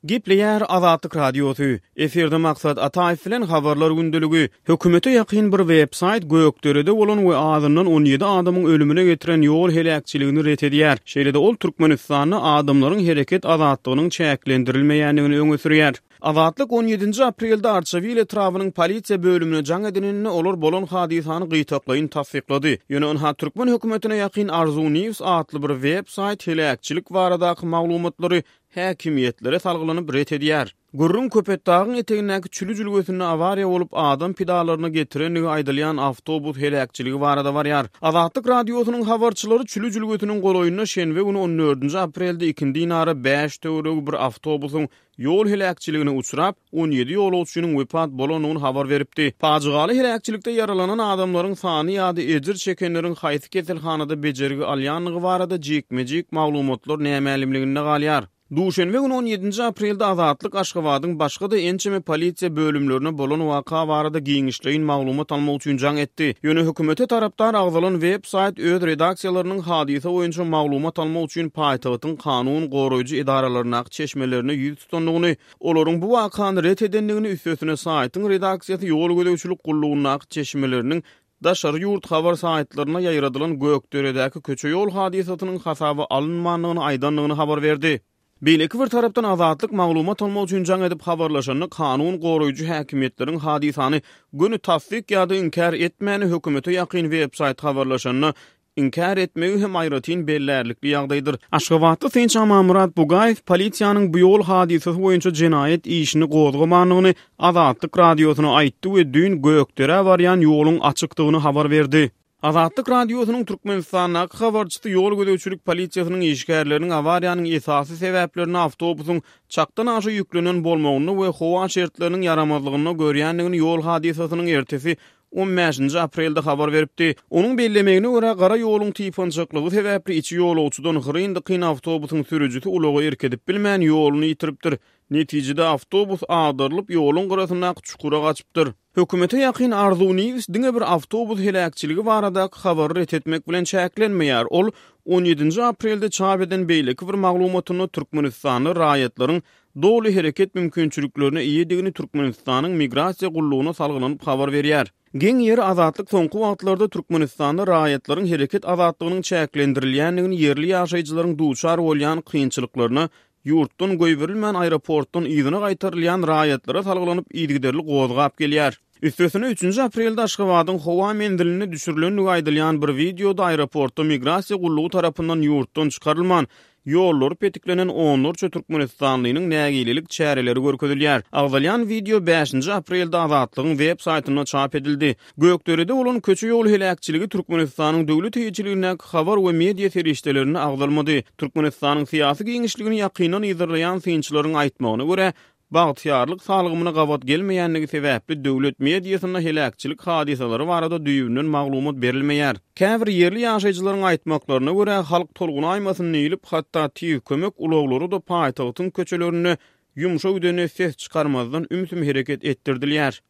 Gepleýär Azatlyk Radiosy, Efirde Maksat Ataýew bilen Habarlar gündeligi. Hökümete ýakyn bir web-saýt Gökderede bolan we azyndan 17 adamyň ölümine getiren ýol heläkçiligini ret edýär. Şeýle-de ol Türkmenistanda adamlaryň hereket azatlygynyň çäklendirilmeýändigini öňe sürýär. Azatlyk on ýedinji aprelde Arçabil etrabynyň polisiýa bölümine jaň edeninde olar bolan hadysany gytaklaýyn tassyklady. Ýöne ynha türkmen hökümetine ýakyn Arzuw News atly bir web-saýt heläkçilik baradaky maglumatlary häkimiýetlere salgylanyp ret edýär. Gürrüň Köpetdagyň etegindäki Çüli jülgesinde awariýa bolup, adam pidalaryna getirendigi aýdylýan awtobus heläkçiligi barada barýar. Azatlyk Radiosynyň habarçylary Çüli jülgesiniň golaýynda şenbe güni on dördünji aprelde ikindinara bäş töweregi bir awtobusyň ýol heläkçiligine uçrap, 17 ýolagçynyň wepat bolandygyny habar beripdi. Pajygaly heläkçilikde ýaralanan adamlaryň sany ýa-da ejir çekenleriň haýsy keselhanada bejergi alýandygy barada jikme-jik maglumatlar nämälimliginde galýar. Duşenbe güni on ýedinji aprelde Azatlyk Aşgabadyň başga-da ençeme polisiýa bölümlerine bolan waka barada giňişleýin maglumat almak üçin jaň etdi. Ýöne hökümete tarapdar agzalan web-saýt öz redaksiýalarynyň hadysa boýunça maglumat almak üçin paýtagtyň kanun goraýjy edaralaryndaky çeşmelerine ýüz tutandygyny, olaryň bu wakany ret edendigini, üstesine saýtyň redaksiýasy ýol gözegçilik gullugyndaky çeşmeleriniň daşary ýurt habar saýtlarynda ýaýradylan Gökderedäki köçe-ýol hadysasynyň hasaba alynmandygyny aýdandygyny habar berdi. Beýleki bir tarapdan Azatlyk maglumat almak üçin jaň edip habarlaşanda kanun goraýjy häkimiýetleriň hadysany göni tassyk ýa-da inkär etmäni hökümete ýakyn web-saýt habarlaşanda inkär etmegi hem aýratyn bellärlikli ýagdaýdyr. Aşgabatly synçy Amanmyrat Bugaýew polisiýanyň bu ýol hadysasy boýunça jenaýat işini gozgamandygyny Azatlyk Radiosyna aýtdy we düýn Gökderä barýan ýoluň açykdygyny habar berdi. Azatlyk Radiosynyň Türkmenistandaky habarçysy ýol gözegçilik polisiýasynyň işgärleriniň awariýanyň esasy sebäplerini awtobusyň çakdan aşa ýüklenen bolmagynda we howa şertleriniň ýaramazlygynda görýändigini ýol hadysasynyň ertesi on bäşinji aprelde habar beripdi. Onuň bellemegine görä, gara ýoluň typançaklygy sebäpli içi ýolagçydan hyryn-dykyn awtobusyň sürüjisi ulaga erk edip bilmän, ýoluny ýitiripdir. Netijede, awtobus agdarylyp, ýoluň gyrasyndaky çukura gaçypdyr. Hökümete ýakyn Arzuw News diňe bir awtobus heläkçiligi baradaky habary ret etmek bilen çäklenmeýär. Ol on ýedinji aprelde çap eden beýleki bir maglumatynda Türkmenistanda raýatlaryň doly hereket mümkinçiliklerine eýedigini Türkmenistanyň Migrasiýa gullugyna salgylanyp habar berýär. Geň ýeri Azatlyk soňky wagtlarda Türkmenistanda raýatlaryň hereket azatlygynyň çäklendirilýändigini ýerli ýaşaýjylaryň duçar bolýan kynçylyklaryna ýurtdan goýberilmän aeroportdan yzyna gaýtarylýan raýatlara salgylanyp yzygiderli gozgap gelýär. Üstesine üçünji aprelde Aşgabadyň howa menzilinde düşürilendigi aýdylýan bir wideoda aeroportda migrasiýa gullugy tarapyndan ýurtdan çykarylman, ýollary petiklenen onlarça türkmenistanlynyň nägilelik çäreleri görkezilýär. Agzalýan wideo bäşinji aprelde Azatlygyň web saýtynda çap edildi. Gökderede bolan köçe-ýol heläkçiligi Türkmenistanyň döwlet eýeçiligindäki habar we media serişdelerinde agzalmady. Türkmenistanyň syýasy giňişligini ýakyndan yzarlaýan synçylaryň aýtmagyna görä, bagtyýarlyk salgymyna gabat gelmeýändigi sebäpli döwlet mediasynda heläkçilik hadysalary barada düýbünden maglumat berilmeýär. Käbir ýerli ýaşaýjylaryň aýtmaklaryna görä, halk tolgunaýmasyn diýlip, hatda tiz kömek ulaglary-da paýtagtyň köçelerinde ýumşa gidende ses çykarmazdan ümsüm hereket etdirdilýär.